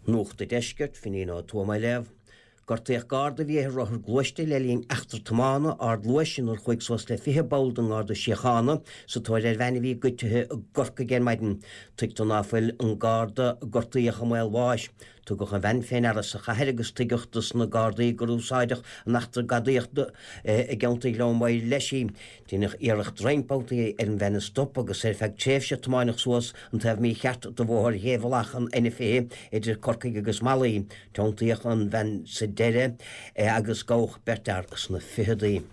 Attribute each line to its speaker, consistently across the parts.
Speaker 1: Nuacht an Deiscirt, Finín Ó Tuama á léamh. Gortaíodh Garda a bhí ar rothar gluaiste le linn eachtra tiomána ardluais inar chuaigh suas le 20 ball den nGarda Síochána sa tóir ar bhean a bhí goidte i gCorcaigh ar maidin. Tuigtear ná fuil an Garda a gortaíodh i mbaol bháis. Tugadh an bhean fé ndeara sa chathair agus tuigeadh dos na Gardaí gur úsáideadh in eachtra gadaíochta i gceantar Ghleann Maghair leis í. Deineadh iarracht roinnt babhtaí ar an bhean a stop agus ar feadh tréimhse tiomáineadh suas an taobh mícheart de bhóthar Ghébhealach an N20 idir Corcaigh agus Malaí. Tiontaíodh an bhean sa deireadh agus gabhadh beirt fhear sna ficheadaí.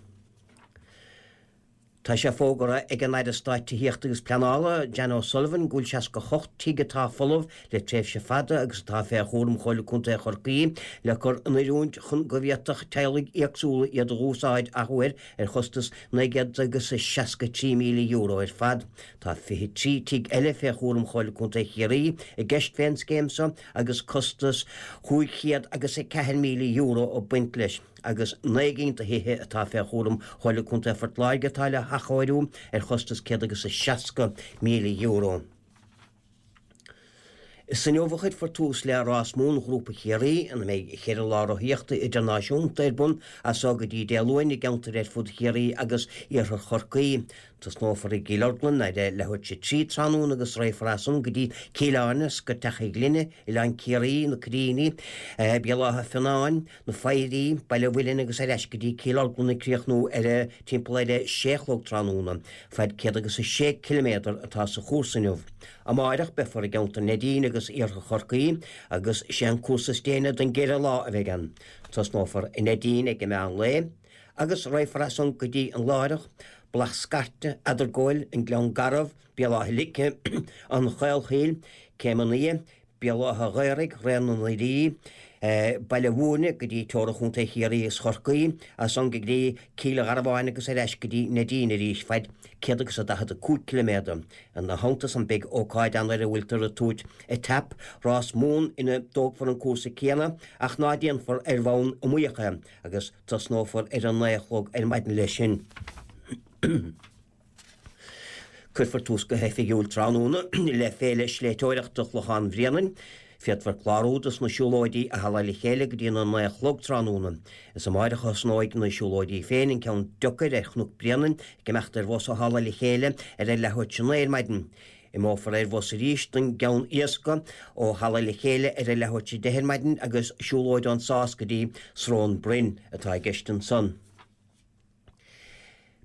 Speaker 1: Tá sé fógartha ag an Aire Stáit Tithíochta agus Pleanála, Jan O'Sullivan, go bhfuil 68 tigh atá folamh le tréimhse fada agus atá fé chúram Chomhairle Contae Chorcaí le cur in oiriúint chun go bhféadfadh teaghlaigh éagsúla iad a dh'úsáid athuair ar chostas €963,000 ar fad. Tá 23 tigh eile fé chúram Chomhairle Contae Chiarraí i gceist fén scéim so agus costas €504,000 ag baint leis, agus 9 gcinn de thithe atá fé chúram Chomhairle Contae Phort Láirge atá le hathchóiriú ar chostas €160,000. Is inniu a chuirfear tús le Rás Mumhan Ghrúpa Chiarraí, ina mbeidh cheithre lá rothaíochta idirnáisiúnta ar bun as so go dtí Dé Luain i gceantair ar fud Chiarraí agus iarthar Chorcaí. Tosnófar i gCill Orglan ar a leathuair tar éis a 3 tráthnóna agus raghfar as san go dtí Cill Airne, Scoirteach an Ghlinne, Oileán Ciarraí, Na Cairríní, Béal Átha Fionáin, Na Foidhrí, Baile Mhuilinn agus ar ais go dtí Cill Orglan ag críochnú ar a timpeall ar a sé a chlog tráthnóna. Fad 106 ciliméadar atá sa chúrsa inniu. Amáireach beifear i gceantar Neidín agus iarthar Chorcaí agus sé an cúrsa is déine den gceithre lá a bheidh ann. Tosnófar i Neidín ag an meán lae agus raghfar as san go dtí an Laireach, Bealach Scairte, Eadargóil, an Gleann Garbh, Béal Átha Lice, an Chaolchoill, Céim an Fhia, Béal Átha Ghaorthaidh, Raon na nDoirí, Baile Mhúirne go dtí teora Chontae Chiarraí is Chorcaí, as san go dtí Cill Gharbháin agus ar ais go dtí Neidín arís, faid 145 ciliméadar. Ina theannta san beidh ócáid ann ar a bhfuiltear ag tabhairt Étape Rás Mumhan ina dtógfar an cúrsa céanna ach ná déanfar ar bhonn iomaíoch é agus tosnófar ar a naoi a chlog ar maidin leis sin. Cuirfear tús go hoifigiúil tráthnóna le Féile Sléibhteoireachta Chlochán Bhréanainn. Féadfar clárú dos na siúlóidí i Halla Le Chéile go dtí na 9 a chlog tráthnóna. Is amáireach a thosnóidh na siúlóidí féin, an ceann deocair ar Chnoc Bréanainn, ag imeacht ar bhus ó Halla Le Chéile ar a leathuair tar éis a 9 ar maidin. Imeofar ar bhus arís don gceann éasca ó Halla Le Chéile ar a leathuair tar éis a 10 ar maidin agus siúlóid ón Sás go dtí Srón Broin atá i gceist ansan.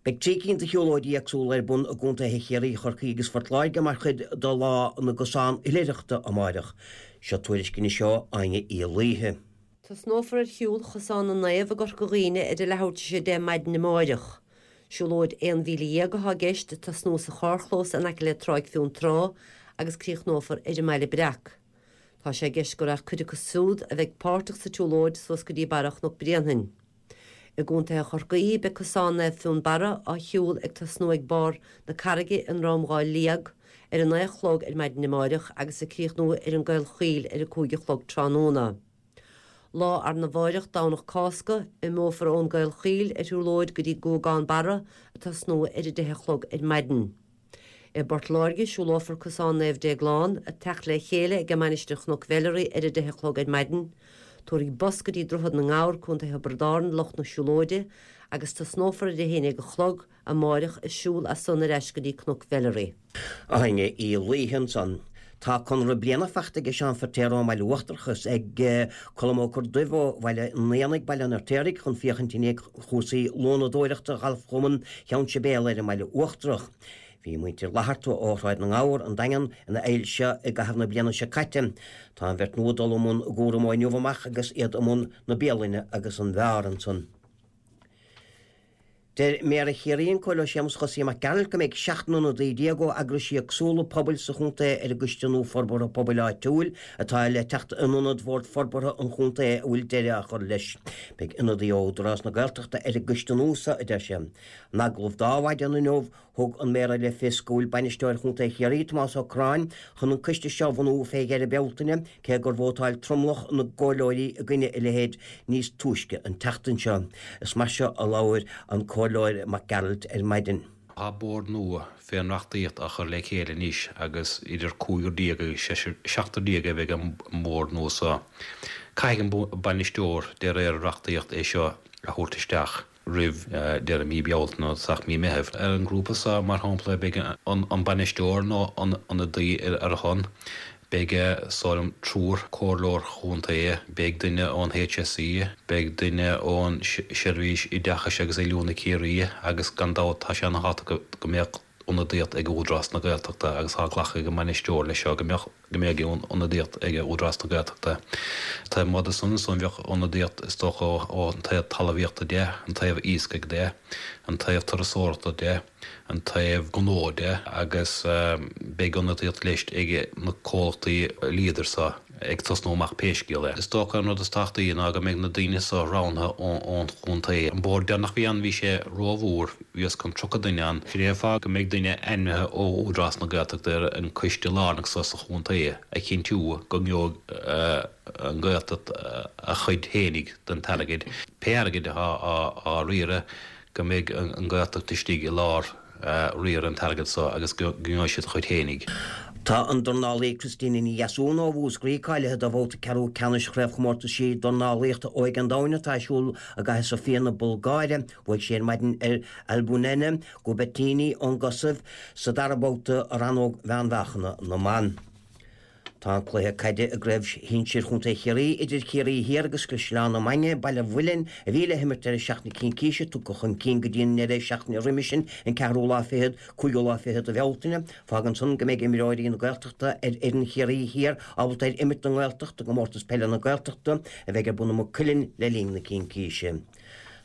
Speaker 1: Beidh 3 cinn de shiúlóidí éagsúla ar bun i gcontaetha Chiarraí, Chorcaí agus Phort Láirge mar chuid de Lá na gCosán Oilithreachta amáireach. Seo tuairisc anois ó Áine Uí Laoithe.
Speaker 2: Tosnófar ar shiúl Chosán na Naomh i gCorca Dhuibhne ar a leathuair tar éis a 10 maidin amáireach. Siúlóid 11 mhíle atá i gceist, ag tosnú sa charrchlós in aice le Tráigh Fionntrá agus críochnófar ar an mBaile Breac. Tá sé i gceist go raghadh cuid acu siúd a bheidh páirteach sa tsiúlóid suas go dtí barra Chnoc Bréanainn. I gContae Chorcaí, beidh Cosán Naomh Fionnbarra á shiúl ag tosnú ag barr na Carraige i nDroim Dhá Liag ar a 9 a chlog ar maidin amáireach agus ag críochnú ar an gCaolchoill ar a 5 a chlog tráthnóna. Lá arna mháireach, Domhnach Cásca, imeofar ón gCaolchoill ar shiúlóid go dtí Guagán Barra ag tosnú ar a 10 a chlog ar maidin. I bPort Láirge, siúlófar Cosán Naomh Déaglán, ag teacht le chéile ag Mainistir Chnoc Mheilearaí ar a 10 a chlog ar maidin. Tabharfaidh bus go dtí Droichead na nGabhar, Co. Thiobraid Árann, lucht na siúlóide, agus tosnófar ar a 11 a chlog amáireach ag siúl as san ar ais go dtí Cnoc Mheilearaí.
Speaker 1: Áine Uí Laoithe ansan. Tá conradh bliana fachta ag Seán Feirtéar ón mBaile Uachtarach is ag Colm Ó Corrduibh ó Bhaile an Éanaigh, Baile an Fheirtéaraigh, chun féachaint i ndiaidh chúrsaí lónadóireachta Ghalfchumann Cheann Sibéal ar an mBaile Uachtarach. Bhí muintir Fhlatharta ó Shráid na nGabhar, an Daingean, ina fheighil seo i gcaitheamh na bliana seo caite. Tá an bheirt nua ag dul i mbun a gcúraim ó inniu amach agus iad i mbun na bialainne agus an bheáir ansan. Deir Méara Chiarraí, an Comhairleoir Séamus Chosaí Mac Gearailt, go mbeidh 17 n-ionadaí ó eagraisí éagsúla pobail sa chontae ar an gCoiste nua Forbartha Pobail Áitiúil atá le teacht in ionad Bhord Forbartha an Chontae a bhfuil deireadh á chur leis. Beidh ionadaí ó Údarás na Gaeltachta ar an gcoiste nua seo, a deir sé. In agallamh dó ar maidin inniu, Thug an Méara le fios go bhfuil Bainisteoir Chontae Chiarraí, Tomás Ó Curráin, chun an coiste seo a bhunú fé dheireadh Bealtaine, cé gur vótáil tromlach na gcomhairleoirí i gcoinne a leithéid níos túisce an tseachtain seo. Is mar seo a labhair an Comhairleoir Mac Gearailt ar maidin.
Speaker 3: Tá bord nua fén reachtaíocht á chur le chéile anois agus idir cúigear déag agus seachtar déag a bheidh ar an mbord nua so. Caithfidh an bainisteoir de réir an reachtaíocht é seo a thabhairt isteach roimh deireadh mí Bealtaine nó tosach mí Meithimh. Ar an ngrúpa so, mar shampla, beidh an bainisteoir nó ionadaí ar a shon, beidh is dóigh liom triúr comhairleoir chontae, beidh duine ón HSE, beidh duine ón Seirbhís Oideachais agus Oiliúna Ciarraí agus gan dabht tá sé ana-thábhachtach go mbeadh ionadaíocht ag Údarás na Gaeltachta agus tá glactha ag an mbainisteoir leis seo go mbeadh go mbeadh ionadaíocht ag Údarás na Gaeltachta. Taobh amuigh de san ansan bheadh ionadaíocht is dócha ón taobh talmhaíochta de, an taobh iascaigh de, an taobh turasóireachta de, an taobh gnó de agus beidh ionadaíocht leis ag na comhlachtaí Leader so ag tosnú amach pé scéal é. Is dócha an rud is tábhachtaí ná go mbeidh na daoine so roghnaithe ón chontae. An bord deireanach a bhí ann bhí sé rómhór, bhí os cionn 30 duine ann. Sin é an fáth go mbeidh duine ainmnithe ó Údarás na Gaeltachta ar an coiste lárnach so sa chontae a chinntiú go ngeobhaidh an Ghaeltacht a chuid fhéinig den t-airgead, pé airgead atá á riaradh. go mbeidh an Ghaeltacht istigh i lár riar an t-airgead so agus go ngeobhaidh siad a chuid fhéinig.
Speaker 1: Tá an dornálaí Christina Ní Dheasúna ó Mhúscraí cáilithe do bhabhta ceathrú ceannais Chraobhchomórtaisí Dornálaíochta Óige an Domhain atá ar siúl i gcathair Sofia na Bulgáire. Bhuaigh sí ar maidin ar Albunena Gubettini ón gCosaiv sa dara babhta i rannóg mheánmheáchana na mban. Tá an cluiche caide i gCraobh Shinsir Chontae Chiarraí idir Ciarraí Thiar agus Caisleán na Mainge, Baile Mhuilinn, a bhí le himirt ar an seachtain Cincíse, tugtha chun cinn go dtí an ndeireadh seachtaine roimhe sin, an ceathrú lá fichead, cúigiú lá fichead de Bhealtaine. Fágann san go mbeidh imreoirí na Gaeltachta ar fhoireann Chiarraí Thiar ábalta ar imirt don nGaeltacht i gComórtas Peile na Gaeltachta a bheidh ar bun i Maigh Cuilinn le linn na Cincíse.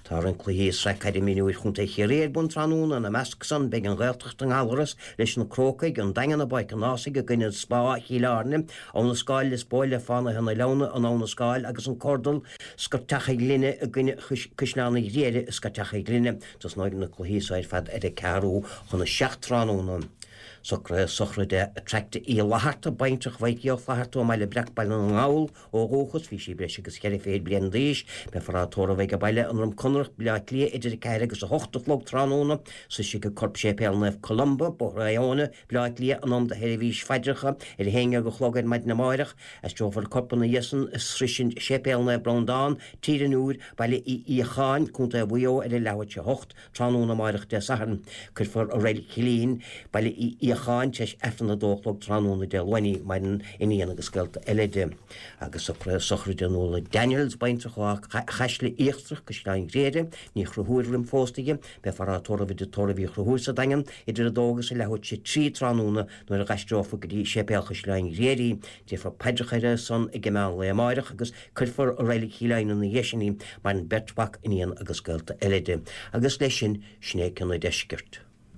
Speaker 1: Tá roinnt cluichí i Sraith Caide Mionúir Chontae Chiarraí ar bun tráthnóna, ina measc san beidh an Ghaeltacht i nGallaras leis na Crócaigh, an Daingean i bPáirc an Ághasaigh i gcoinne Spá Chill Airne, Abha na Scáil Lios Póil le Fánaithe na Leamhna in Abha na Scáil agus an Cordal, Scoirteach a' Ghlinne i gcoinne Caisleán an Ghriaire i Scoirteach a' Ghlinne. Tosnóidh na cluichí so ar fad ar a ceathrú chun a 7 tráthnóna. Socruithe sochraide Attracta Uí Fhlatharta, baintreach Mhaidhcí Ó Flatharta ó mBaile Breac, Baile na nGall, Ó dhúchas, bhí sí breis agus cheithre fichid bliain d'aois. Beifear á tórramh age baile i nDroim Conrach, Baile Átha Cliath, idir 4 agus 8 a chlog tráthnóna. Sroisfidh a corp Séipéal Naomh Columba, Bóthar Iona, Baile Átha Cliath, in am do sheirbhís phaidreacha ar a haon dhéag a chlog ar maidin amáireach. Aistreofar a corp ina dhiaidh san a sroisint Séipéal Naomh Breandán, Tír an Iúir, Baile Uí Fhiacháin, Contae Mhaigh Eo ar a leathuair tar éis a hocht. Tráthnóna amáireach Dé Sathairn, cuirfear i Reilig Chillín, Baile Uí Fhiacháin, tar éis Aifreann a dó a chlog tráthnóna Dé Luain í. Maireann iníon agus gaolta eile di. Agus socruithe sochraide Nuala Daniels, baintreach ó Áth Chaisle Íochtarach, Caisleán Ghriaire, Ní Chonchúir roim phósta di. Beifear á tórramh i dTigh Tórraimh Uí Chonchúir sa Daingean idir 2 agus a leathuair tar éis 3 tráthnóna nuair a dh'aistreofar go dtí Séipéal Chaisleáin Ghriaire í. Déarfar paidreacha ar a son ag meán lae amáireach agus cuirfear i Reilig Chill Eidhneann ina dhiaidh sin í. Maireann beirt mhac, iníon agus gaolta eile di. Agus leis sin, sin é cionn an deiscirt.